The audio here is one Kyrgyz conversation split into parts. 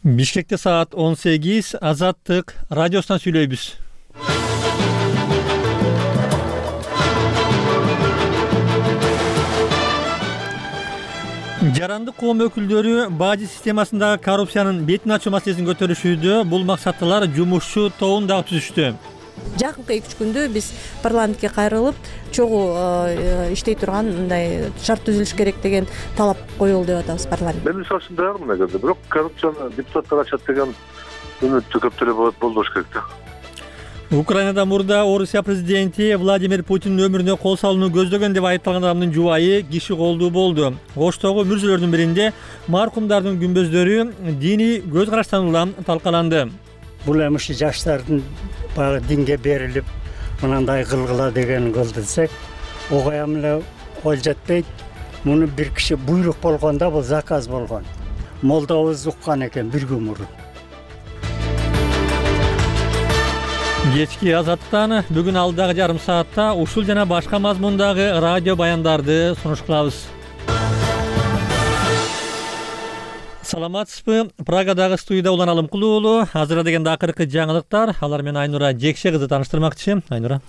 Бишкекте саат 18, Азаттык радиосунан сүйлөйбүз. Жарандык коом өкүлдөрү бажы системасындагы коррупциянын бетин ачуу маселесин көтөрүшүүдө. Бул максаттуулар жумушчу тобун дагы түзүштү. Жакынкы 2-3 күндө биз парламентке кайрылып, чогуу иштей турган мындай шарт түзүлүш керек деген талап коелу деп атабыз парламент. Мен мисалы үчүн даярмын эгерде, бирок коррупцияны депутаттар ачат деген үмүттү көптөр болбош керек да. Украинада мурда Орусия президенти Владимир Путиндин өмүрүнө кол салууну көздөгөн деп айыпталган адамдын жубайы киши колдуу болду. Оштогу мүрзөлөрдүн биринде маркумдардын күмбөздөрү диний көз караштан улам талкаланды. Бул эми ушу жаштардын баягы динге берилип мынандай кылгыла деген кылдырсак, огоям эле кол жетпейт. Муну бир киши буйрук болгондо, бул заказ болгон. Молдобуз уккан экен бир күн мурун. Кечки Азаттан бүгүн алдагы жарым саатта ушул жана башка мазмундагы радио баяндарды сунуш кылабыз. Саламатсызбы? Прагадагы студияда Улан Алымкулуу уулу. Азыр дегенде акыркы жаңылыктар. Алар менен Айнура Жекше кызы тааныштырмакчы. Айнура.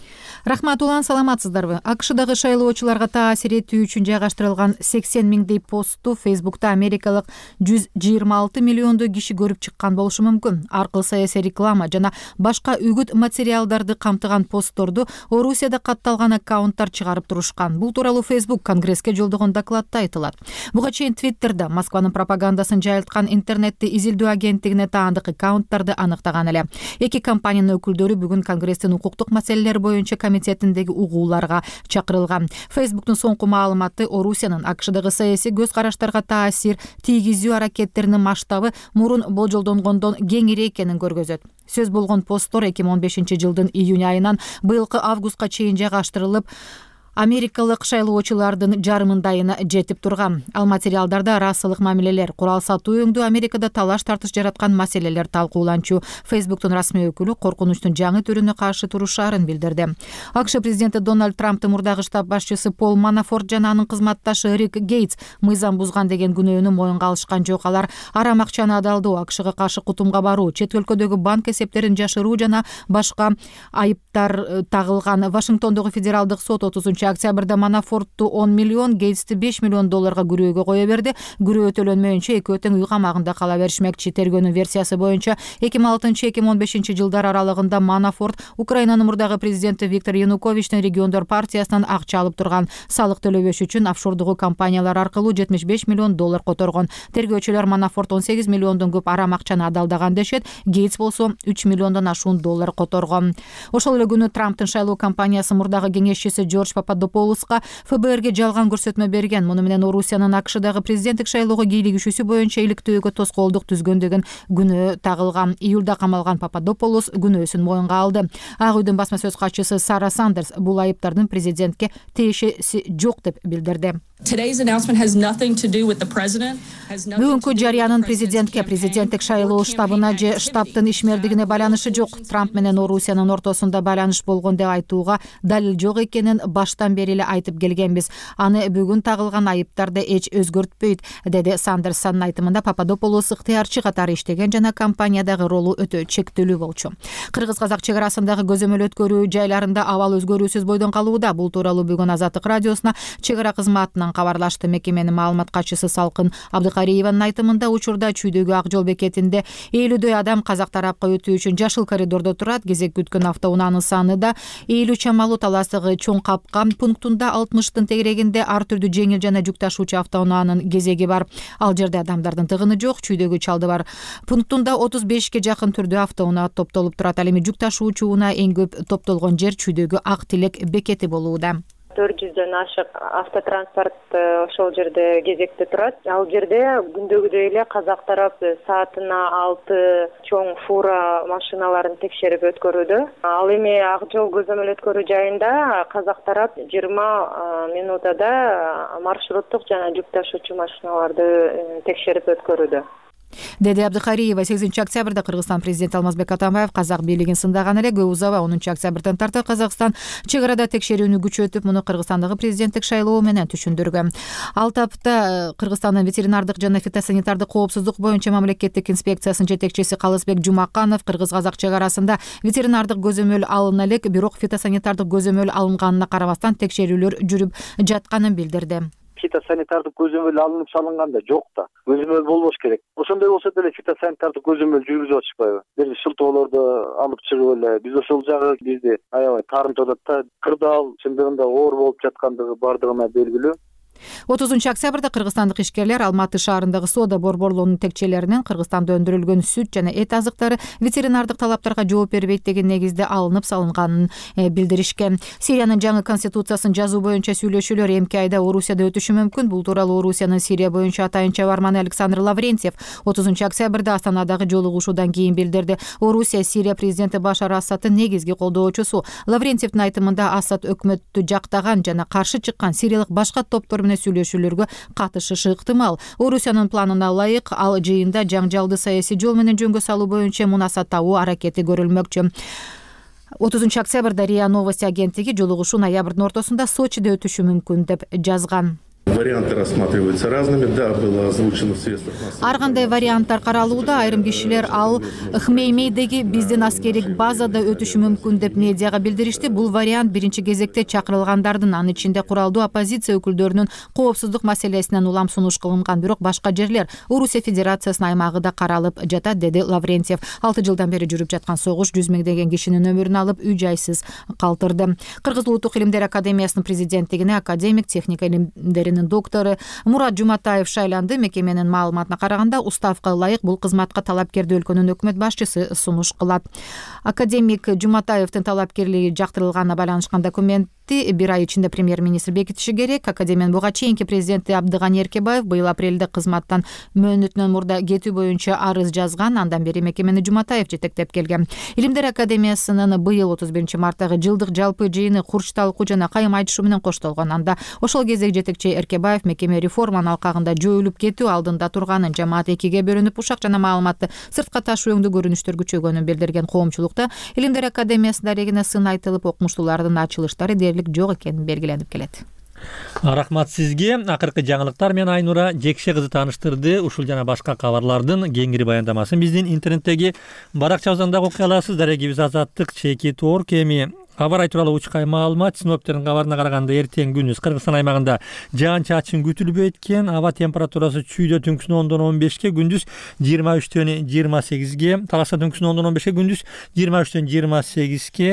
Рахмат Улан, саламатсыздарбы? АКШдагы шайлоочуларга таасир этүү үчүн жайгаштырылган 80 миңдей постту Фейсбукта америкалык 126 миллиондой киши көрүп чыккан болушу мүмкүн. Аркылуу саясий реклама жана башка үгүт материалдарды камтыган постторду Орусияда катталган аккаунттар чыгарып турушкан. Бул тууралуу Фейсбук Конгресске жолдогон докладта айтылат. Буга чейин Твиттерде Москванын пропагандасын жайылткан интернетти изилдөө агенттигине таандык аккаунттарды аныктаган эле. Эки компаниянын өкүлдөрү бүгүн Конгресстин укуктук маселелер боюнча комитетиндеги угууларга чакырылган. Фейсбуктун соңку маалыматы Орусиянын АКШдагы саясий көз караштарга таасир тийгизүү аракеттеринин масштабы мурун болжолдонгондон кеңири экенин көргөзөт. Сөз болгон посттор 2015 жылдын июнь айынан быйылкы августка чейин жайгаштырылып, америкалык шайлоочулардын жарымындайына жетип турган. Ал материалдарда расалык мамилелер, курал сатуу өңдүү, Америкада талаш тартыш жараткан маселелер талкууланчу. Фейсбуктун расмий өкүлү коркунучтун жаңы түрүнө каршы турушаарын билдирди. АКШ президенти Дональд Трамптын мурдагы штаб башчысы Пол Манафорт жана анын кызматташы Рик Гейтс мыйзам бузган деген күнөөнү моюнга алышкан жок. Алар арам акчаны адалдоо, АКШга каршы кутумга баруу, чет өлкөдөгү банк эсептерин жашыруу жана башка айыптар тагылган. Вашингтондогу федералдык сот 30 октябрда Манафортту 10 миллион, Гейтсти 5 миллион долларга күрөөгө кое берди. Күрөө төлөнмөйүнчө экөө тең үй камагында кала беришмекчи. Тергөөнүн версиясы боюнча 2006-2015 жылдар аралыгында Манафорт Украинанын мурдагы президенти Виктор Януковичтин региондор партиясынан акча алып турган. Салык төлөбөш үчүн офшордугу компаниялар аркылуу 75 миллион доллар которгон. Тергөөчүлөр Манафорт 18 миллиондон көп арам акчаны адалдаган дешет. Гейтс болсо 3 миллиондон ашуун доллар которгон. Ошол эле күнү Трамптын шайлоо кампаниясы мурдагы кеңешчиси Джордж Пападополуска ФБРге жалган көрсөтмө берген. Муну менен Орусиянын АКШдагы президенттик шайлоого кийлигишүүсү боюнча иликтөөгө тоскоолдук түзгөн деген күнөө тагылган. Июлда камалган Пападополус күнөөсүн моюнга алды. Ак үйдүн басма сөз катчысы Сара Сандерс бул айыптардын президентке тиешеси жок деп билдирди. Бүгүнкү жарыянын президенттик шайлоо штабына же штабтын ишмердигине байланышы жок. Трамп менен Орусиянын ортосунда байланыш болгон деп айтууга далил жок экенин баштан бери эле айтып келгенбиз. Аны бүгүн тагылган айыптарды эч өзгөртпөйт, деди Сандерс. Анын айтымында Пападополус ыктыярчы катары иштеген жана компаниядагы ролу өтө чектелүү болчу. Кыргыз-казак чек арасындагы көзөмөл өткөрүү жайларында абал өзгөрүүсүз бойдон калууда. Бул тууралуу бүгүн Азаттык радиосуна чек ара кызматынан кабарлашты. Мекеменин маалымат катчысы Салкын Абдыкариеванын айтымында учурда чүйдөгү Ак жол бекетинде 50дөй адам казак тарапка өтүү үчүн жашыл коридордо турат. Кезек күткөн автоунаанын саны да 50 чамалуу. Таластагы чоң капкан пунктунда 60тын тегерегинде ар түрдүү жеңил жана жүк ташуучу автоунаанын кезеги бар. Ал жерде адамдардын тыгыны жок. Чүйдөгү чалды бар пунктунда 35ке жакын түрдүү автоунаа топтолуп турат. Ал эми жүк ташуучу унаа эң көп топтолгон жер чүйдөгү Ак Тилек бекети болууда. 400дөн ашык автотранспорт ошол жерде кезекте турат. Ал жерде күндөгүдөй эле казак тарап саатына 6 чоң фура машиналарын текшерип өткөрүүдө. Ал эми Ак жол көзөмөл өткөрүү жайында казак тарап 20 минутада маршруттук жана жүк ташуучу машиналарды текшерип өткөрүүдө. деди Абдыхариева. 8-октябрда Кыргызстан президенти Алмазбек Атамбаев казак бийлигин сындаган эле. Көп узабай 10-октябрдан тарта Казакстан чек арада текшерүүнү күчөтүп, муну Кыргызстандагы президенттик шайлоо менен түшүндүргөн. Ал тапта Кыргызстандын ветеринардык жана фитосанитардык коопсуздук боюнча мамлекеттик инспекциясынын жетекчиси Калысбек Жумаканов кыргыз-казак чек арасында ветеринардык көзөмөл алына элек, бирок фитосанитардык көзөмөл алынганына карабастан текшерүүлөр жүрүп жатканын билдирди. Фитосанитардык көзөмөл алынып салынганда жок да, көзөмөл болбош керек. Ошондой болсо деле фитосанитардык көзөмөл жүргүзүп атышпайбы? Бир шылтоолорду алып чыгып эле биз ошол жагы бизди аябай таарынтып атат да. Кырдаал чындыгында оор болуп жаткандыгы бардыгына белгилүү. 30-октябрда кыргызстандык ишкерлер Алматы шаарындагы соода борборлорунун текчелеринен Кыргызстанда өндүрүлгөн сүт жана эт азыктары ветеринардык талаптарга жооп бербейт деген негизде алынып салынганын билдиришкен. Сириянын жаңы конституциясын жазуу боюнча сүйлөшүүлөр эмки айда Орусияда өтүшү мүмкүн. Бул тууралуу Орусиянын Сирия боюнча атайын чабарманы Александр Лаврентьев 30-октябрда Астанадагы жолугушуудан кийин билдирди. Орусия Сирия президенти Башар Асадтын негизги колдоочусу. Лаврентьевдин айтымында Асад өкмөттү жактаган жана каршы чыккан сириялык башка топтор сүйлөшүүлөргө катышышы ыктымал. Орусиянын планына ылайык ал жыйында жаңжалды саясий жол менен жөнгө салуу боюнча мунаса табуу аракети көрүлмөкчү. 30-октябрда РИА Новости агенттиги жолугушуу ноябрдын ортосунда Сочиде өтүшү мүмкүн деп жазган. Варианты рассматриваются разными, да, было озвучено в средствах массовой. Ар кандай варианттар каралууда. Айрым кишилер ал Хмеймейдеги биздин аскерик базада өтүшү мүмкүн деп медиага билдиришти. Бул вариант биринчи кезекте чакырылгандардын, анын ичинде куралдуу оппозиция өкүлдөрүнүн коопсуздук маселесинен улам сунуш кылынган. Бирок башка жерлер Орусия Федерациясынын аймагы да каралып жатат, деди Лаврентьев. 6 жылдан бери жүрүп жаткан согуш 100 миңдеген кишинин өмүрүн алып, үй жайсыз калтырды. Кыргыз Улуттук илимдер академиясынын президенттигине академик, техника илимдеринин доктору Мурат Жуматаев шайланды. Мекеменин маалыматына караганда, уставка ылайык бул кызматка талапкерди өлкөнүн өкмөт башчысы сунуш кылат. Академик Жуматаевдин талапкерлиги жактырылганына байланышкан документти 1 ай ичинде премьер-министр бекитиши керек. Академиянын буга чейинки президенти Абдыганы Эркебаев быйыл апрелде кызматтан мөөнөтүнөн мурда кетүү боюнча арыз жазган. Андан бери мекемени Жуматаев жетектеп келген. Илимдер академиясынын быйыл 31 марттагы жылдык жалпы жыйыны курч талкуу жана кайым айтышуу менен коштолгон. Анда ошол кездеги жетекчи Эркебаев мекеме реформанын алкагында жоюлуп кетүү алдында турганын, жамаат экиге бөлүнүп ушак жана маалыматты сыртка ташуу өңдүү көрүнүштөр күчөгөнүн билдирген. Коомчулукта Илимдер академиясында дарегине сын айтылып, окумуштуулардын ачылыштары дээрлик жок экени белгиленип келет. Рахмат сизге. Акыркы жаңылыктар менен Айнура Жекше кызы тааныштырды. Ушул жана башка кабарлардын кеңири баяндамасын биздин интернеттеги баракчабыздан дагы окуй аласыз. Дарегибиз Азаттык _org. Эми кабар тууралуу учкай маалымат. Синоптиктердин кабарына караганда эртең күндүз Кыргызстан аймагында жаан-чачын күтүлбөйт экен. Аба температурасы чүйдө түнкүсүн 10-дон 15ке, күндүз 23-төн 28ге, талашта түнкүсүн 10-дон 15ке, күндүз 23-төн 28ке,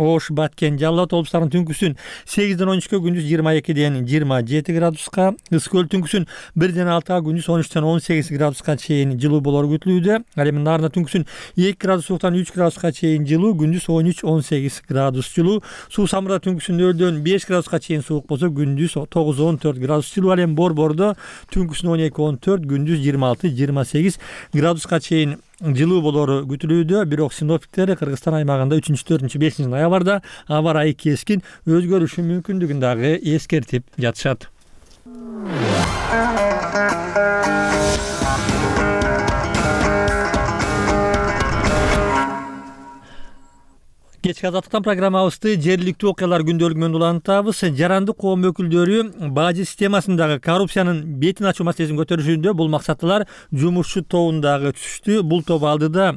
Ош, Баткен, Жалал абад облустарынын түнкүсүн 8-ден 13ке, күндүз 22-ден 27 градуска, Ысык көл түнкүсүн 1-ден 6га, күндүз 13-төн 18 градуска чейин жылуу болору күтүлүүдө. Ал эми Нарында түнкүсүн 2 градус сууктан 3 градуска чейин жылуу, күндүз 13-18 градус жылуу. Суу Самырда түнкүсүн 0-дөн 5 градуска чейин суук болсо, күндүз 9-14 градус жылуу. Ал эми Борбордо түнкүсүн 12-14, күндүз 26-28 градуска чейин жылуу болору күтүлүүдө. Бирок синоптиктер Кыргызстан аймагында 3-4-5 ноябрда аба ырайы кескин өзгөрүшү мүмкүндүгүн дагы эскертип жатышат. Кечки Азаттыктан программабызды жергиликтүү окуялар күндөлүгү менен улантабыз. Жарандык коом өкүлдөрү бажы системасындагы коррупциянын бетин ачуу маселесин көтөрүшүндө бул максаттуулар жумушчу тобундагы түштү. Бул топ алдыда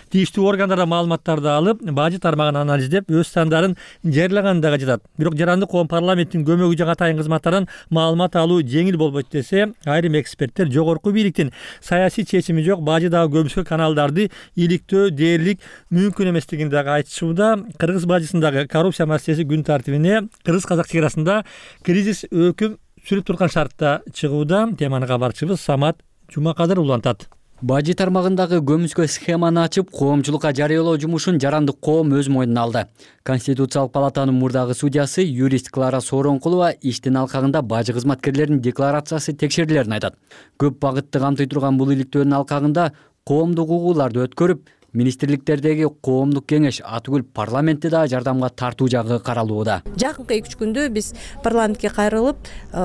тийиштүү органдардан маалыматтарды алып, бажы тармагын анализдеп, өз сандарын жарыялагандыгы жатат. Бирок жарандык коом парламенттин көмөгү жана атайын кызматтардан маалымат алуу жеңил болбойт десе, айрым эксперттер жогорку бийликтин саясий чечими жок бажыдагы көмүскө каналдарды иликтөө дээрлик мүмкүн эместигин дагы айтышууда. Кыргыз бажысындагы коррупция маселеси күн тартибине кыргыз-казак чек арасында кризис өкүм сүрүп турган шартта чыгууда. Теманы кабарчыбыз Самат Жумакадыр улантат. Бажы тармагындагы көмүскө схеманы ачып, коомчулукка жарыялоо жумушун жарандык коом өз мойнуна алды. Конституциялык палатанын мурдагы судьясы юрист Клара Сооронкулова иштин алкагында бажы кызматкерлеринин декларациясы текшерилерин айтат. Көп багытты камтый турган бул иликтөөнүн алкагында коомдук угууларды өткөрүп, министрликтердеги коомдук кеңеш Атүгүл парламентти да жардамга тартуу жагы каралууда. Жакынкы 2-3 күндө биз парламентке кайрылып,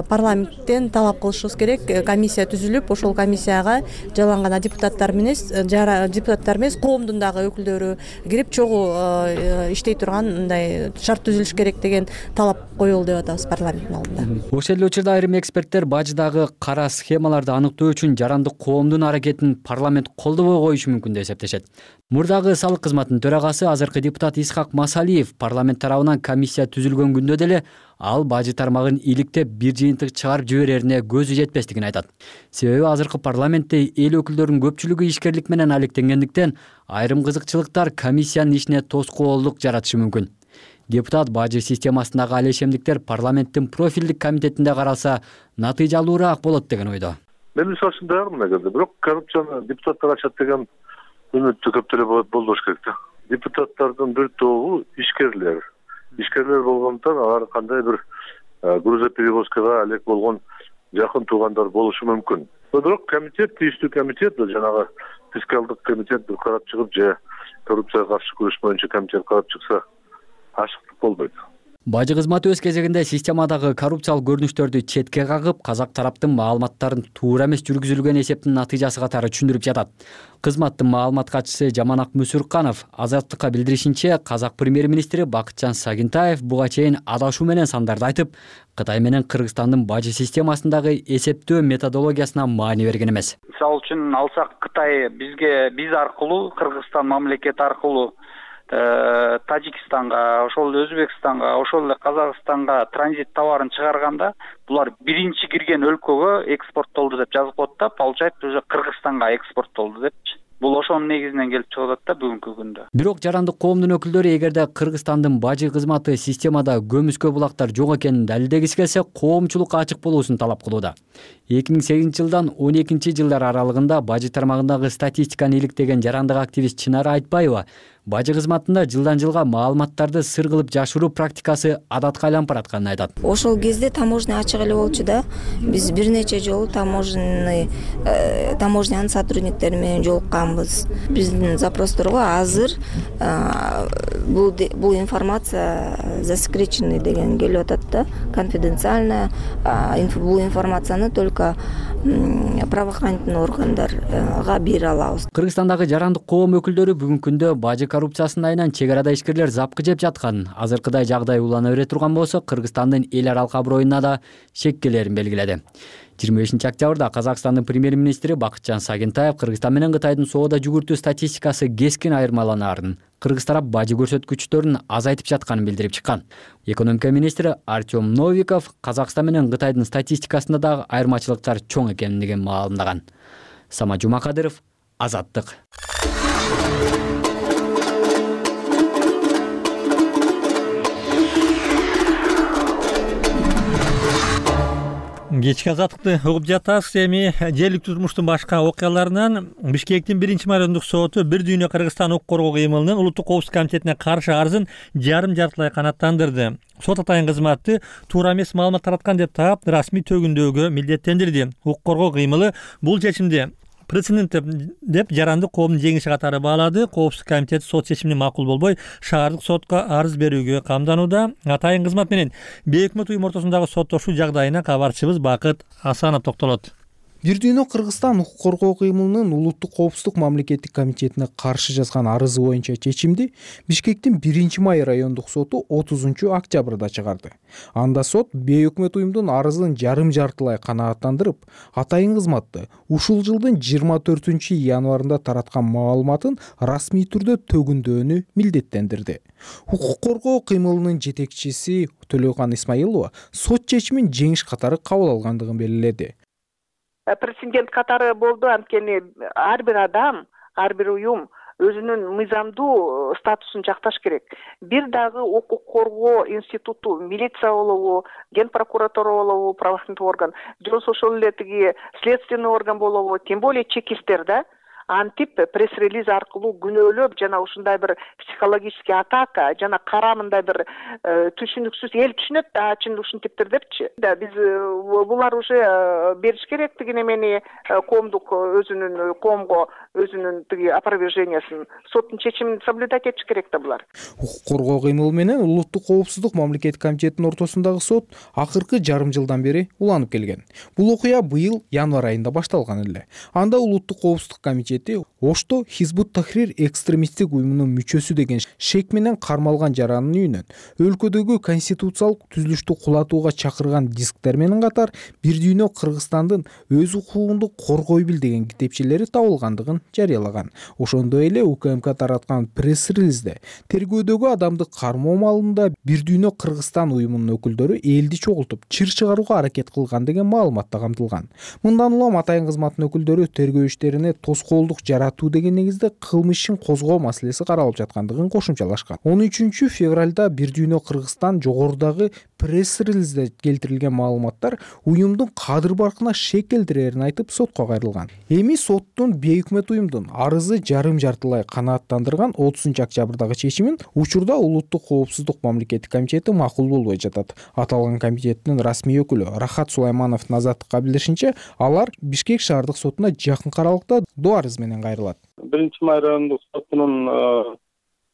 парламенттен талап кылышыбыз керек. Комиссия түзүлүп, ошол комиссияга жаланган депутаттар эмес, коомдун дагы өкүлдөрү кирип чогуу иштей турган мындай шарт түзүлүш керек деген талап коюлду деп атабыз парламенттин алдында. Ошол эле учурда айрым эксперттер баждагы кара схемаларды аныктоо үчүн жарандык коомдун аракетин парламент колдобой коюшу мүмкүн деп эсептешет. Мурдагы салык кызматынын төрагасы азыркы депутат Исхак Масалиев парламент тарабынан комиссия түзүлгөн күндө деле ал бажы тармагын иликтеп бир жыйынтык чыгарып жиберерине көзү жетпестигин айтат. Себеби азыркы парламентте эл өкүлдөрүнүн көпчүлүгү ишкерлик менен алектенгендиктен айрым кызыкчылыктар комиссиянын ишине тоскоолдук жаратышы мүмкүн. Депутат бажы системасындагы алешемдиктер парламенттин профилдик комитетинде каралса натыйжалуураак болот деген ойдо. Мен мисалы үчүн дагы мына кезде бирок коррупцияны депутаттар ачат деген үмүттү көп деле болбош керек да. Депутаттардын бир тобу ишкерлер болгондуктан алар кандай бир грузоперевозкага алек болгон жакын туугандар болушу мүмкүн. Бирок комитет, тийиштүү комитет, жанагы фискалдык комитет бир карап чыгып же коррупцияга каршы күрөш боюнча комитет карап чыкса ашыктык болбойт. Бажы кызматы өз кезегинде системадагы коррупциялык көрүнүштөрдү четке кагып, казак тараптын маалыматтарын туура эмес жүргүзүлгөн эсептин натыйжасы катары түшүндүрүп жатат. Кызматтын маалымат катчысы Жаманак Мүсүрканов Азаттыкка билдиришинче, казак премьер-министри Бакытжан Сагынтаев буга чейин адашуу менен сандарды айтып, Кытай менен Кыргызстандын бажы системасындагы эсептөө методологиясына маани берген эмес. Мисалы үчүн алсак, Кытай биз аркылуу, Кыргызстан мамлекети аркылуу Тажикстанга, ошол эле Өзбекстанга, ошол эле Казакстанга транзит товарын чыгарганда булар биринчи кирген өлкөгө экспорттолду деп жазып коет да, получается уже Кыргызстанга экспорттолду депчи. Бул ошонун негизинен келип чыгып атат да бүгүнкү күндө. Бирок жарандык коомдун өкүлдөрү эгерде Кыргызстандын бажы кызматы системада көмүскө булактар жок экенин далилдегиси келсе, коомчулукка ачык болуусун талап кылууда. 2008-жылдан 12-жылдар аралыгында бажы тармагындагы статистиканы иликтеген жарандык активист Чынара Айтбаева бажы кызматында жылдан жылга маалыматтарды сыр кылып жашыруу практикасы адатка айланып баратканын айтат. Ошол кезде таможня ачык эле болчу да. Биз бир нече жолу таможнянын сотрудниктери менен жолукканбыз. Биздин запросторго азыр бул информация засекреченный деген келип атат да, конфиденциально. Бул информацияны только правоохранительный органдарга бере алабыз. Кыргызстандагы жарандык коом өкүлдөрү бүгүнкү күндө бажы коррупциясынын айынан чек арада ишкерлер запкы жеп жатканын, азыркыдай жагдай улана бере турган болсо Кыргызстандын эл аралык аброюна да шеккелерин белгиледи. 25-октябрда Казакстандын премьер-министри Бакытжан Сагынтаев Кыргызстан менен Кытайдын соода жүгүртүү статистикасы кескин айырмаланаарын, Кыргыз тарап бажы көрсөткүчтөрүн азайтып жатканын билдирип чыккан. Экономика министри Артем Новиков Казакстан менен Кытайдын статистикасында дагы айырмачылыктар чоң экенин маалымдаган. Сама Жумакадыров, Азаттык. Кечки Азаттыкты угуп жатасыз. Эми жергиликтүү турмуштун башка окуяларынан Бишкектин 1-райондук соту бир дүйнө Кыргызстан укук коргоо кыймылынын улуттук коопсуздук комитетине каршы арызын жарым-жартылай канааттандырды. Сот атайын кызматты туура эмес маалымат тараткан деп таап, расмий төгүндөөгө милдеттендирди. Укук коргоо кыймылы бул чечимди прецедент деп жарандык коомдун жеңиши катары баалады. Коопсуздук комитети сот чечимине макул болбой, шаардык сотко арыз берүүгө камданууда. Атайын кызмат менен бейөкмөт уюм ортосундагы соттошуу жагдайына кабарчыбыз Бакыт Асанов токтолот. Бир дүйнө Кыргызстан укук коргоо кыймылынын улуттук коопсуздук мамлекеттик комитетине каршы жазган арызы боюнча чечимди Бишкектин 1-май райондук соту 30-октябрда чыгарды. Анда сот бейөкмөт уюмдун арызын жарым-жартылай канааттандырып, атайын кызматты ушул жылдын 24-январында тараткан маалыматын расмий түрдө төгүндөөнү милдеттендирди. Укук коргоо кыймылынын жетекчиси Төлөкан Исмаилова сот чечимин жеңиш катары кабыл алгандыгын белгиледи. Прецедент катары болду, анткени ар бир адам, ар бир уюм өзүнүн мыйзамдуу статусун жакташ керек. Бир дагы укук коргоо институту, милиция болобу, ген прокуратура болобу, правоохранительный орган, же ошол эле следственный орган болобу, тем более чекисттер да, антип пресс-релиз аркылуу күнөөлөп жана ушундай бир психологический атака жана кара мындай бир түшүнүксүз эл түшүнөт да чын ушинтиптир депчи. Биз булар уже бериш керек тиги немени коомго өзүнүн тиги опровержениясын, соттун чечимин соблюдать этиш керек да булар. Укук коргоо кыймылы менен улуттук коопсуздук мамлекеттик комитетинин ортосундагы сот акыркы жарым жылдан бери уланып келген. Бул окуя быйыл январь айында башталган эле. Анда улуттук коопсуздук комитети Ошто Хизбут Тахрир экстремисттик уюмунун мүчөсү деген шек менен кармалган жаранын үйүнөн өлкөдөгү конституциялык түзүлүштү кулатууга чакырган дисктер менен катар бир дүйнө Кыргызстандын өз укугунду коргой бил деген китепчелери табылгандыгын жарыялаган. Ошондой эле УКМК тараткан пресс-релизде тергөөдөгү адамды кармоо маалында бир дүйнө Кыргызстан уюмунун өкүлдөрү элди чогултуп чыр чыгарууга аракет кылган деген маалымат да камтылган. Мындан улам атайын кызматтын өкүлдөрү тергөө иштерине тоскоолдук жаратуу деген негизде кылмыш ишин козгоо маселеси каралып жаткандыгын кошумчалашкан. 13 февралда бир дүйнө Кыргызстан жогорудагы пресс-релизде келтирилген маалыматтар уюмдун кадыр баркына шек келтирерин айтып сотко кайрылган. Эми соттун бейөкмөт уюмдун арызы жарым жартылай канааттандырган 30 октябрдагы чечимин учурда улуттук коопсуздук мамлекеттик комитети макул болбой жатат. Аталган комитеттин расмий өкүлү Рахат Сулаймановдун азаттыкка билдиришинче, алар Бишкек шаардык сотуна жакын аралыкта доо арыз менен кайрылат. 1-май райондук сотунун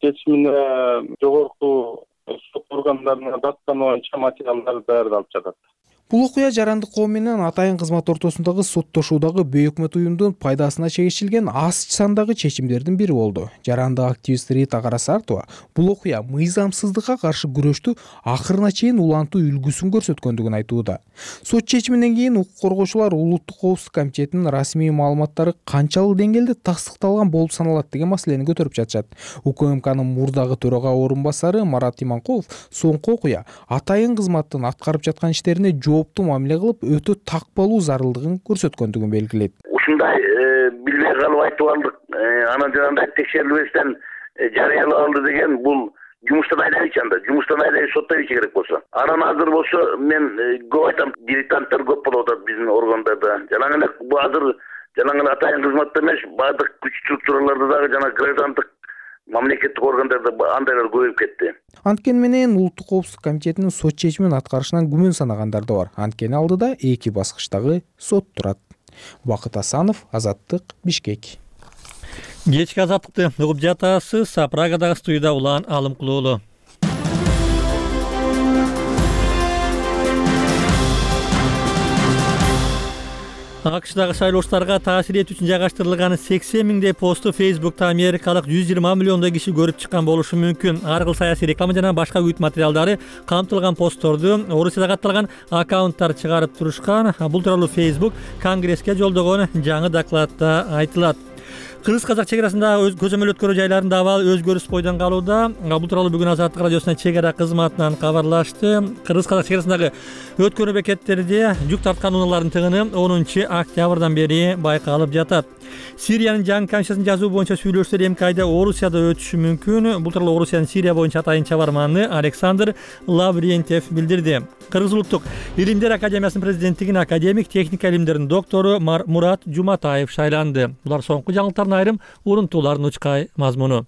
чечимине жогорку сот органдарына даттануу боюнча материалдар даярдалып жатат. Бул окуя жарандык коом менен атайын кызмат ортосундагы соттошуудагы бейөкмөт уюмдун пайдасына чегишилген аз сандагы чечимдердин бири болду. Жарандык активист Рита Карасартова бул окуя мыйзамсыздыкка каршы күрөштү акырына чейин улантуу үлгүсүн көрсөткөндүгүн айтууда. Сот чечиминен кийин укук коргоочулар улуттук коопсуздук комитетинин расмий маалыматтары канчалык деңгээлде тастыкталган болуп саналат деген маселени көтөрүп жатышат. УКМКнын мурдагы төрага орунбасары Марат Иманкулов соңку окуя атайын кызматтын аткарып жаткан иштерине жооптуу мамиле кылып өтө такпалуу зарылдыгын көрсөткөндүгүн белгилейт. Ушундай билбей калып айтып алдык, анан жанагындай текшерилбестен жарыялап алды деген бул жумуштан айдайчы анда. Жумуштан айдай соттойчу керек болсо. Анан азыр болсо мен көп айтам, дилетанттар көп болуп атат биздин органдарда. Жанагы бул азыр жанагы атайын кызматта эмес, баардык күч структураларда дагы жана граждандык мамлекеттик органдарда андайлар көбөйүп кетти. Анткени менен улуттук коопсуздук комитетинин сот чечимин аткарышынан күмөн санагандар да бар. Анткени алдыда 2 баскычтагы сот турат. Бакыт Асанов, Азаттык, Бишкек. Кечки азаттыкты угуп жатасыз. Прагадагы студияда Улан Алымкулуулу. АКШдагы шайлоочуларга таасир этүү үчүн жайгаштырылган 80 миңдей посту Facebook'та америкалык 120 миллиондой киши көрүп чыккан болушу мүмкүн. Ар кыл саясий реклама жана башка үгүт материалдары камтылган постторду Орусияда катталган аккаунттар чыгарып турушкан. Бул тууралуу Facebook Конгресске жолдогон жаңы докладта айтылат. Кыргыз-казак чек арасындагы көзөмөл өткөрүү жайларында абал өзгөрүш бойдон калууда. Бул тууралуу бүгүн Азаттык радиосунун чек ара кызматынан кабарлашты. Кыргыз-казак чек арасындагы өткөрүү бекеттерде жүк тарткан унаалардын тыгыны 10 октябрдан бери байкалып жатат. Сириянын жаңы конституциясын жазуу боюнча сүйлөшүүлөр эмки айда Орусияда өтүшү мүмкүн. Бул тууралуу Орусиянын Сирия боюнча атайын чабарманы Александр Лаврентьев билдирди. Кыргыз улуттук илимдер академиясынын президенттигине академик, техника илимдеринин доктору Мурат Жуматаев шайланды. Булар соңку жаңылыктардын айрым урунтуулардын учкай мазмуну.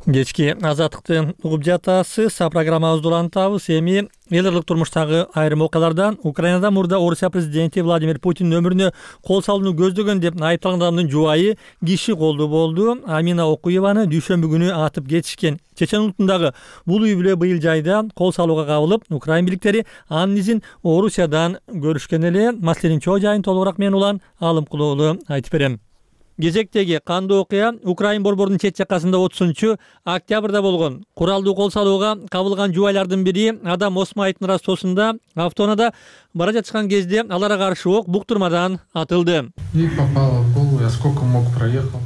Кечки азаттыкты угуп жатасыз. Программабызды улантабыз. Эми эл аралык турмуштагы айрым окуялардан Украинада мурда Орусия президенти Владимир Путиндин өмүрүнө кол салууну көздөгөн деп айыпталган адамдын жубайы киши колдуу болду. Амина Окуеваны дүйшөмбү күнү атып кетишкен. Чечен улутундагы бул үй бүлө быйыл жайда кол салууга кабылып, Украин бийликтери анын изин Орусиядан көрүшкөн эле. Маселенин чоо жайын толугураак мен Улан Алымкулуулу айтып берем. Кезектеги кандуу окуя Украин борборунун чет жакасында 30 октябрда болгон. Куралдуу кол салууга кабылган жубайлардын бири Адам Осмаевдин растосунда автоунаада бара жатышкан кезде аларга каршы ок буктурмадан атылды. И попало в голову, я сколько мог проехал.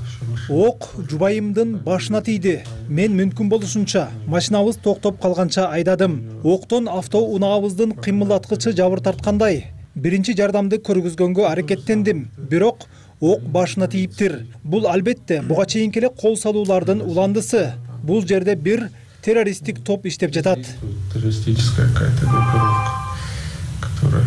Ок жубайымдын башына тийди. Мен мүмкүн болушунча машинабыз токтоп калганча айдадым. Октон автоунаабыздын кыймылдаткычы жабыр тарткандай. Биринчи жардамды көргүзгөнгө аракеттендим. Бирок ок башына тийиптир. Бул албетте буга чейинки эле кол салуулардын уландысы. Бул жерде бир террористтик топ иштеп жатат. Террористическая какая-то группировка, которая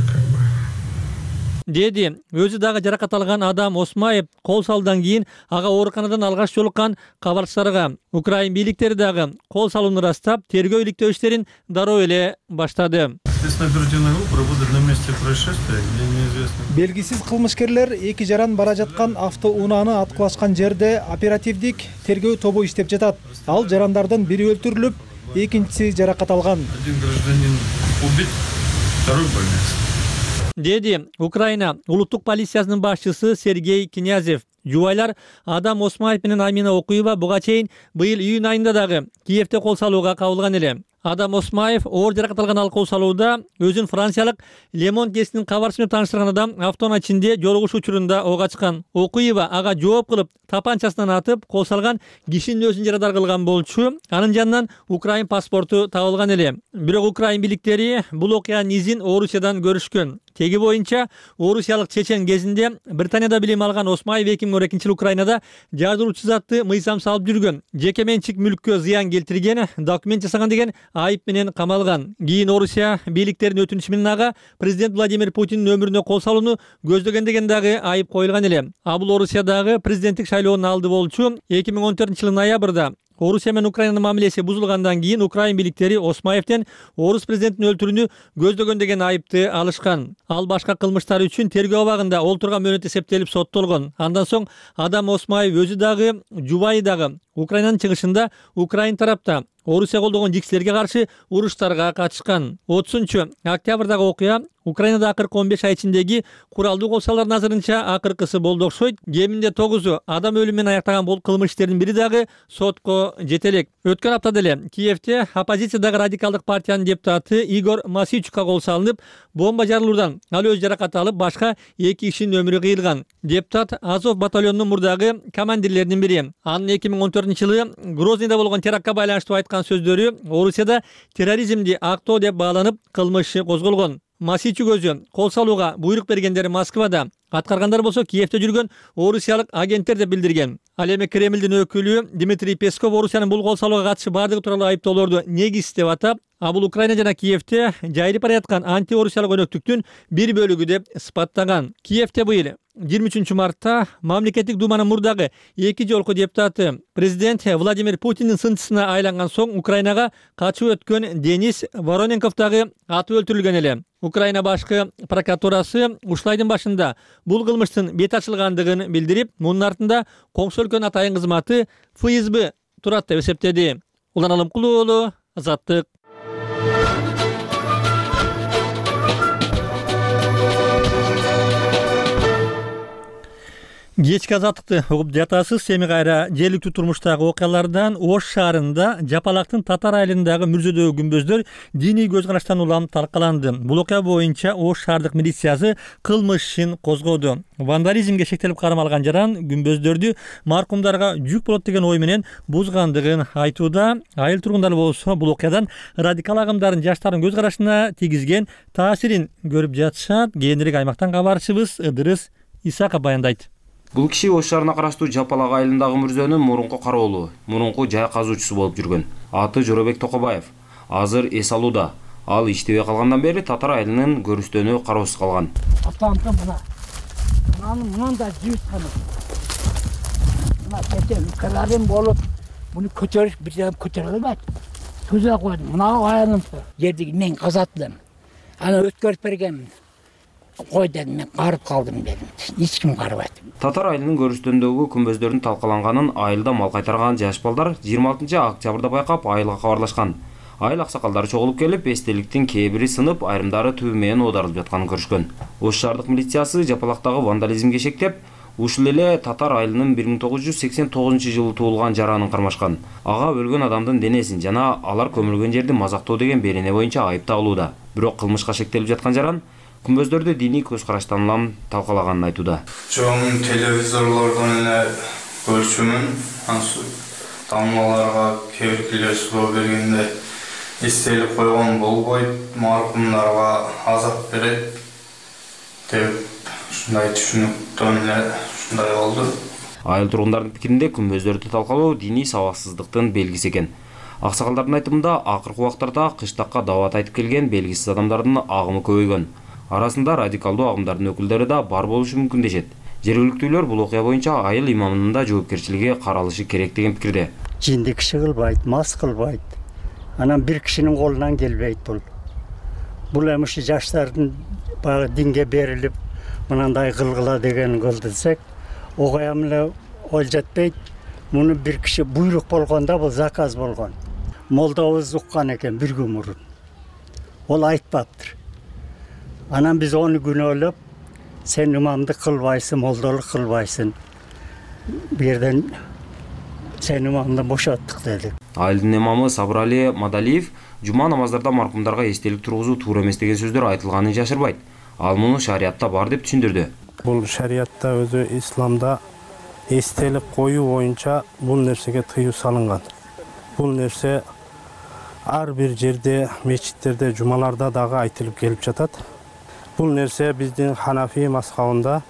деди. Өзү дагы жаракат алган Адам Осмаев кол салуудан кийин ага ооруканадан алгаш жолуккан кабарчыларга Украин бийликтери дагы кол салууну ырастап, тергөө иликтөө иштерин дароо эле баштады. Белгисиз кылмышкерлер эки жаран бара жаткан автоунааны аткылашкан жерде оперативдик тергөө тобу иштеп жатат. Ал жарандардын бири өлтүрүлүп, экинчиси жаракат алган. Деди Украина улуттук полициясынын башчысы Сергей Князев. Жубайлар Адам Осмаев менен Амина Окуева буга чейин быйыл июнь айында дагы Киевте кол салууга кабылган эле. Адам Осмаев оор жаракат алган ал кол салууда өзүн франциялык Лемон гезитинин кабарчысы менен тааныштырган адам автоунаа ичинде жолугуш учурунда ок ачкан. Окуева ага жооп кылып тапанчасынан атып, кол салган кишинин өзүн жарадар кылган болчу. Анын жанынан Украин паспорту табылган эле. Бирок Украин бийликтери бул окуянын изин Орусиядан көрүшкөн. Теги боюнча орусиялык чечен кезинде Британияда билим алган Осмаев 2012-жылы Украинада жардыруучу затты мыйзам салып жүргөн, жеке менчик мүлккө зыян келтирген, документ жасаган деген айып менен камалган. Кийин Орусия бийликтеринин өтүнүшү менен ага президент Владимир Путиндин өмүрүнө кол салууну көздөгөн деген дагы айып коюлган эле. Бул Орусиядагы президенттик шайлоонун алды болчу. 2014-жылы ноябрда Орусия менен Украинанын мамилеси бузулгандан кийин Украин бийликтери Осмаевден орус президентин өлтүрүүнү көздөгөн деген айыпты алышкан. Ал башка кылмыштар үчүн тергөө абагында олтурган мөөнөт эсептелип соттолгон. Андан соң Адам Осмаев өзү дагы, жубайы дагы Украинанын чыгышында Украин тарапта Орусия колдогон жиксилерге каршы уруштарга катышкан. 30-октябрдагы окуя Украинада акыркы 15 ай ичиндеги куралдуу кол салуулардын азырынча акыркысы болду окшойт. Кеминде 9 адам өлүмү менен аяктаган бул кылмыш иштеринин бири дагы сотко жете элек. Өткөн аптада эле Киевте оппозициядагы радикалдык партиянын депутаты Игорь Масичукка кол салынып, бомба жарылуудан ал өзү жаракат алып, башка 2 кишинин өмүрү кыйылган. Депутат Азов батальонунун мурдагы командирлеринин бири. Анын 2014-жылы Грознийде болгон терактка байланыштуу айткан сөздөрү Орусияда терроризмди актоо деп бааланып, кылмыш козголгон. Масичук өзү кол салууга буйрук бергендери Москвада, аткаргандар болсо Киевте жүргөн орусиялык агенттер деп билдирген. Ал эми Кремлдин өкүлү Дмитрий Песков Орусиянын бул кол салууга катышы бардыгы тууралуу айыптоолорду негиз деп атап, бул Украина жана Киевте жайылып бара жаткан антиорусиялык өнөктүктүн бир бөлүгү деп сыпаттаган. Киевте быйыл 23-мартта мамлекеттик думанын мурдагы 2 жолку депутаты президент Владимир Путиндин сынчысына айланган соң Украинага качып өткөн Денис Вороненков дагы атып өлтүрүлгөн эле. Украина башкы прокуратурасы ушул айдын башында бул кылмыштын бет ачылгандыгын билдирип, мунун артында коңшу өлкөнүн атайын кызматы ФСБ турат деп эсептеди. Улан Алымкулуу уулу, Азаттык. Кечки азаттыкты угуп жатасыз. Эми кайра жергиликтүү турмуштагы окуялардан Ош шаарында Жапалактын Татар айылындагы мүрзөдөгү күмбөздөр диний көз караштан улам талкаланды. Бул окуя боюнча Ош шаардык милициясы кылмыш ишин козгоду. Вандализмге шектелип кармалган жаран күмбөздөрдү маркумдарга жүк болот деген ой менен бузгандыгын айтууда. Айыл тургундары болсо бул окуядан радикал агымдардын жаштардын көз карашына тийгизген таасирин көрүп жатышат. Кийинирээк аймактан кабарчыбыз Ыдырыс Исаков баяндайт. Бул киши Ош шаарына караштуу Жапалак айылындагы мүрзөнүн мурунку кароолу, мурунку жай казуучусу болуп жүргөн. Аты Жоробек Токобаев. Азыр эс алууда. Ал иштебей калгандан бери Татар айылынын көрүстөнү кароосуз калган. Атамды мынандай жыйтканы. Мына кече укаларым болуп, муну көтөрүп бир жагы көтөрө албайт. Түзө койдум. Мына айылым жерди мен казаттым. Аны өткөрүп бергенмин. Кой дедим, мен карып калдым дедим. Эч ким карабайт. Татар айылынын көрүстөндөгү күмбөздөрдүн талкаланганын айылда мал кайтарган жаш балдар 26-октябрда байкап айылга кабарлашкан. Айыл аксакалдары чогулуп келип, эстеликтин кээ бири сынып, айрымдары түбү менен оодарылып жатканын көрүшкөн. Ош шаардык милициясы Жапалактагы вандализмге шектеп, ушул эле Татар айылынын 1989-жылы туулган жаранын кармашкан. Ага өлгөн адамдын денесин жана алар көмүлгөн жерди мазактоо деген берене боюнча айыпталууда. Бирок кылмышка шектелип жаткан жаран күмбөздөрдү диний көз караштан улам талкалаганын айтууда. Чоң телевизорлордон эле көрчүмүн. Тамгаларга кээ-биркилер суроо бергенде эстелип койгон болбойт, маркумдарга азап берет деп ушундай түшүнүктөн эле ушундай болду. Айыл тургундардын пикиринде күмбөздөрдү талкалоо диний сабаксыздыктын белгиси экен. Аксакалдардын айтымында акыркы убактарда кыштакка даават айтып келген белгисиз адамдардын агымы көбөйгөн. Арасында радикалдуу агымдардын өкүлдөрү да бар болушу мүмкүн дешет. Жергиликтүүлөр бул окуя боюнча айыл имамынын да жоопкерчилиги каралышы керек деген пикирде. Жинди киши кылбайт, мас кылбайт. Анан бир кишинин колунан келбейт бул. Бул эми ушу жаштардын баягы динге берилип, мынандай кылгыла деген кылды десек, окуям эле ол жетпейт. Муну бир киши буйрук болгондо бул заказ болгон. Молдобуз уккан экен бир күн мурун. Ол айтпаптыр. Анан биз оны күнөөлөп, сен имамдык кылбайсың, молдолук кылбайсың. Бу жерден сен имамды бошоттук дедик. Айылдын имамы Сабырали Мадалиев жума намаздарда маркумдарга эстелик тургузуу туура эмес деген сөздөр айтылганын жашырбайт. Ал муну шариятта бар деп түшүндүрдү. Бул шариятта өзү исламда эстелик коюу боюнча бул нерсеге тыюу салынган. Бул нерсе ар бир жерде, мечиттерде, жумаларда дагы айтылып келип жатат. Бул нерсе биздин Ханафи мазхабында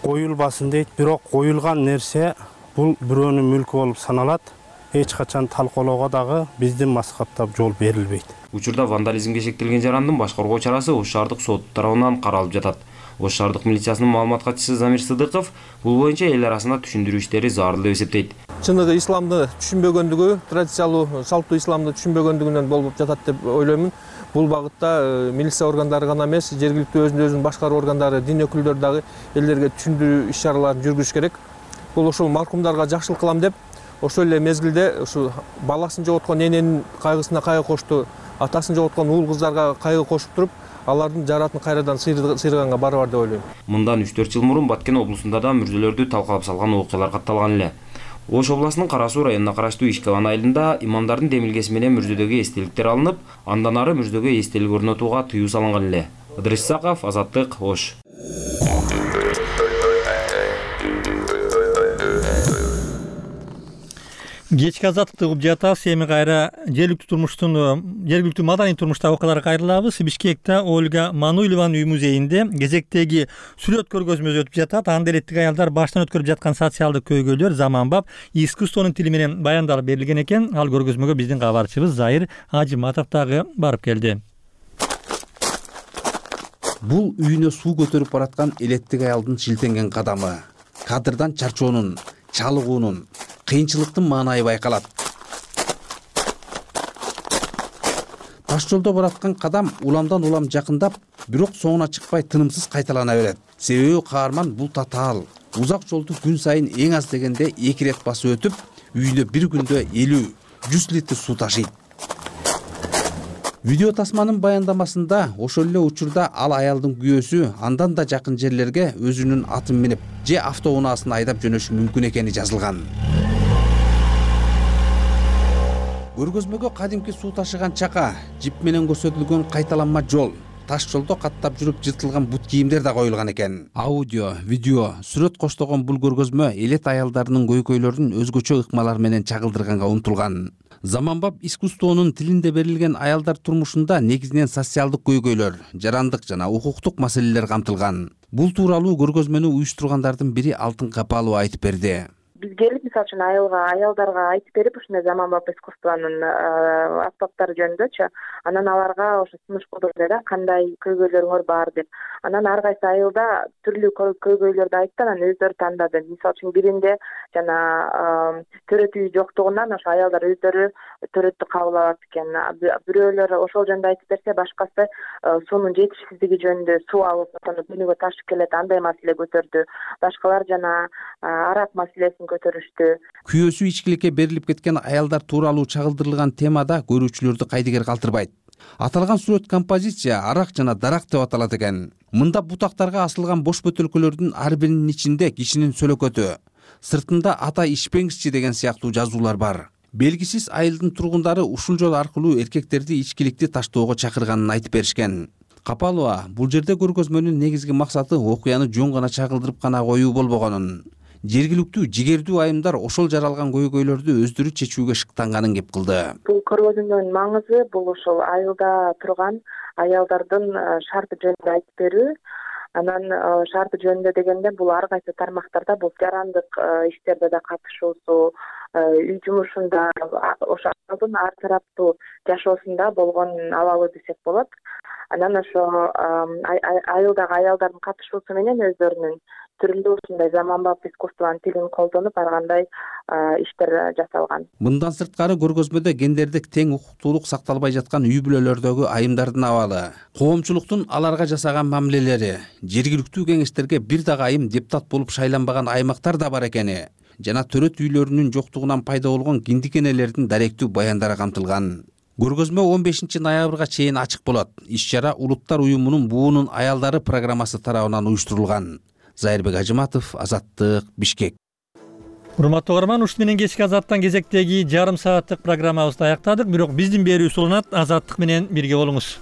коюлбасын дейт, бирок коюлган нерсе бул бирөөнүн мүлкү болуп саналат. Эч качан талкоолоого дагы биздин мазхабта жол берилбейт. Учурда вандализмге шектелген жарандын баш коргоо чарасы Ош шаардык сот тарабынан каралып жатат. Ош шаардык милициясынын маалымат катчысы Замир Сыдыков бул боюнча эл арасында түшүндүрүү иштери зарыл деп эсептейт. Чыныгы исламды түшүнбөгөндүгү, традициялуу салттуу исламды түшүнбөгөндүгүнөн болуп жатат деп ойлоймун. Бул багытта милиция органдары гана эмес, жергиликтүү өзүн башкаруу органдары, дин өкүлдөрү дагы элдерге түшүндүрүү иш-чараларын жүргүзүш керек. Бул ошол маркумдарга жакшылык кылам деп, ошол эле мезгилде ушу баласын жоготкон эненин кайгысына кайгы кошту, атасын жоготкон уул кыздарга кайгы кошуп туруп, алардын жаратын кайрадан сыйрыганга барыбар деп ойлойм. Мындан 3-4 жыл мурун Баткен облусунда да мүрзөлөрдү талкалап салган окуялар катталган эле. Ош областынын Кара Суу районуна караштуу Ишкебан айылында имамдардын демилгеси менен мүрзөдөгү эстеликтер алынып, андан ары мүрзөгө эстелик орнотууга тыюу салынган эле. Ыдырыс Исаков, Азаттык, Ош. Кечки азаттыкты угуп жатабыз. Эми кайра жергиликтүү маданий турмуштагы окуяларга кайрылабыз. Бишкекте Ольга Мануйлованын үй музейинде кезектеги сүрөт көргөзмөсү өтүп жатат. Анда эреттик аялдар баштан өткөрүп жаткан социалдык көйгөйлөр заманбап искусствонун тили менен баяндалып берилген экен. Ал көргөзмөгө биздин кабарчыбыз Зайыр Ажиматов дагы барып келди. Бул үйүнө суу көтөрүп бараткан элеттик аялдын шилтенген кадамы, кадырдан чарчоонун, чалыгуунун, кыйынчылыктын маанайы байкалат. Таш жолдо бараткан кадам уламдан улам жакындап, бирок соңуна чыкпай тынымсыз кайталана берет. Себеби каарман бул татаал, узак жолду күн сайын эң аз дегенде 2 рет басып өтүп, үйүнө бир күндө 50-100 литр суу ташыйт. Видео тасманын баяндамасында ошол эле учурда ал аялдын күйөөсү андан да жакын жерлерге өзүнүн атын минип же автоунаасын айдап жөнөшү мүмкүн экени жазылган. Көргөзмөгө кадимки суу ташыган чака, жип менен көрсөтүлгөн кайталанма жол, таш жолдо каттап жүрүп жыртылган бут кийимдер да коюлган экен. Аудио, видео, сүрөт коштогон бул көргөзмө элет аялдарынын көйгөйлөрүн өзгөчө ыкмалар менен чагылдырганга умтулган. Заманбап искусствонун тилинде берилген аялдар турмушунда негизинен социалдык көйгөйлөр, жарандык жана укуктук маселелер камтылган. Бул тууралуу көргөзмөнү уюштургандардын бири Алтын Капалова айтып берди. Биз келип, мисалы үчүн аялдарга айтып берип, ушундай заманбап искусствонун аспаптары жөнүндөчү, анан аларга ошо сунуш кылдырды да, кандай көйгөйлөрүңөр бар деп. Анан ар кайсы айылда түрлүү көйгөйлөрдү айтты, анан өздөрү тандады. Мисалы үчүн биринде жана төрөт үй жоктугунан ошо аялдар өздөрү төрөттү кабыл алат экен. Бирөөлөр ошол жөнүндө айтып берсе, башкасы суунун жетишсиздиги жөнүндө, суу алып күнүгө ташып келет, андай маселе көтөрдү. Башкалар жана арак маселесин көтөрүштү. Күйөөсү ичкиликке берилип кеткен аялдар тууралуу чагылдырылган темада көрүүчүлөрдү кайдыгер калтырбайт. Аталган сүрөт композиция арак жана дарак деп аталат экен. Мында бутактарга асылган бош бөтөлкөлөрдүн ар биринин ичинде кишинин сөлөкөтү, сыртында ата ичпеңизчи деген сыяктуу жазуулар бар. Белгисиз айылдын тургундары ушул жол аркылуу эркектерди ичкиликти таштоого чакырганын айтып беришкен. Капалова бул жерде көргөзмөнүн негизги максаты окуяны жөн гана чагылдырып гана коюу болбогонун, жергиликтүү жигердүү айымдар ошол жаралган көйгөйлөрдү өздөрү чечүүгө шыктанганын кеп кылды. Бул көргөзмөнүн маңызы бул ошол айылда турган аялдардын шарты жөнүндө айтып берүү. Анан шарты жөнүндө дегенде бул ар кайсы тармактарда бул жарандык иштерде да катышуусу, үй жумушунда ошо аялдын ар тараптуу жашоосунда болгон абалы десек болот. Анан ошо айылдагы аялдардын катышуусу менен өздөрүнүн түрүндө ушундай заманбап искусствонун тилин колдонуп ар кандай иштер жасалган. Мындан сырткары көргөзмөдө гендердик тең укуктуулук сакталбай жаткан үй бүлөлөрдөгү айымдардын абалы, коомчулуктун аларга жасаган мамилелери, жергиликтүү кеңештерге бир дагы айым депутат болуп шайланбаган аймактар да бар экени жана төрөт үйлөрүнүн жоктугунан пайда болгон киндикенелердин даректүү баяндары камтылган. Көргөзмө 15 ноябрга чейин ачык болот. Иш-чара Улуттар уюмунун Буунун аялдары программасы тарабынан уюштурулган. Зайырбек Ажыматов, Азаттык, Бишкек. Урматтуу угарман, ушуну менен кечки Азаттан кезектеги жарым сааттык программабызды аяктадык. Бирок биздин берүү уланат. Азаттык менен бирге болуңуз.